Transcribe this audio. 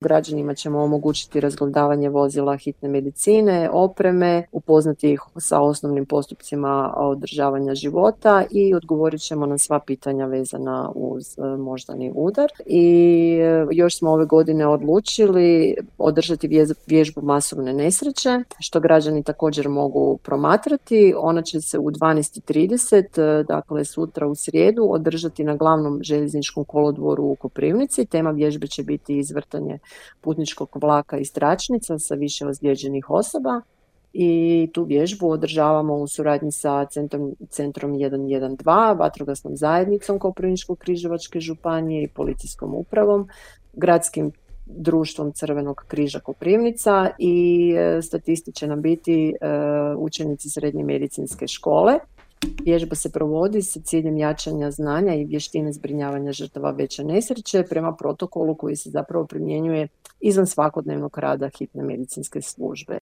Građanima ćemo omogućiti razgledavanje vozila hitne medicine, opreme, upoznati ih sa osnovnim postupcima održavanja života i odgovorit ćemo na sva pitanja vezana uz moždani udar. I još smo ove godine odlučili održati vježbu masovne nesreće, što građani također mogu promatrati. Ona će se u 12:30, dakle sutra u srijedu, održati na glavnom željezničkom kolodvoru u Koprivnici. Tema vježbe će biti izvrtanje putničkog vlaka iz tračnica sa više ozlijeđenih osoba i tu vježbu održavamo u suradnji sa centrom 112, vatrogasnom zajednicom Koprivničko-križevačke županije i policijskom upravom, gradskim društvom Crvenog križa Koprivnica i statisti će nam biti učenici srednje medicinske škole. Vježba se provodi sa ciljem jačanja znanja i vještine zbrinjavanja žrtava veće nesreće prema protokolu koji se zapravo primjenjuje izvan svakodnevnog rada hitne medicinske službe.